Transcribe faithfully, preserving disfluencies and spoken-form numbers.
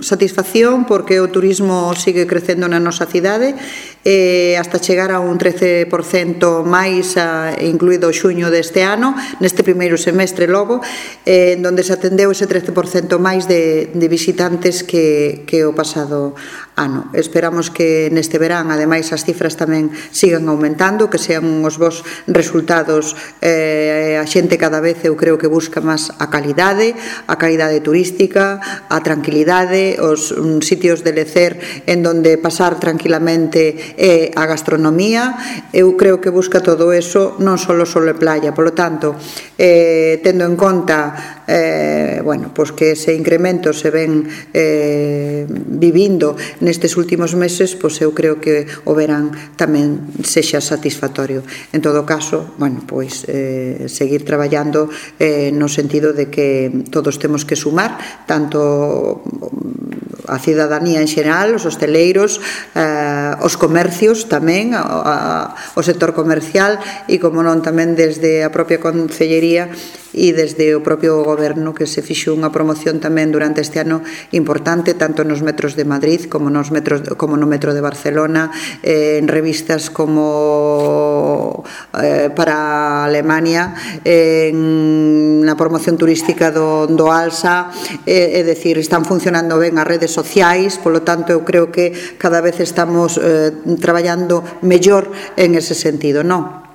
satisfacción porque o turismo sigue crecendo na nosa cidade, eh, hasta chegar a un trece por cento máis, a, incluído o xuño deste ano, neste primeiro semestre logo, eh, en donde se atendeu ese trece por cento máis de, de visitantes que, que o pasado ano. Esperamos que neste verán, ademais, as cifras tamén sigan aumentando, que sean os bons resultados. Eh, a xente cada vez, eu creo que busca máis a calidade, a calidade turística, a tranquilidade, os um, sitios de lecer en donde pasar tranquilamente e a gastronomía. Eu creo que busca todo eso, non só sol e playa. Por lo tanto, eh, tendo en conta eh, bueno, pues que ese incremento se ven eh, vivindo nestes últimos meses, pues eu creo que o verán tamén sexa satisfactorio. En todo caso, bueno, pois eh, seguir traballando eh, no sentido de que todos temos que sumar, tanto a cidadanía en xeral, os hosteleiros, eh, os comercios tamén, a, a, o sector comercial e, como non, tamén desde a propia Concellería e desde o propio Goberno, que se fixo unha promoción tamén durante este ano importante, tanto nos metros de Madrid como nos metros, como no metro de Barcelona, eh, en revistas como eh, para Alemania, eh, en na promoción turística do, do Alsa, eh, é dicir, están funcionando ben as redes sociais, polo tanto eu creo que cada vez estamos eh, traballando mellor en ese sentido, non?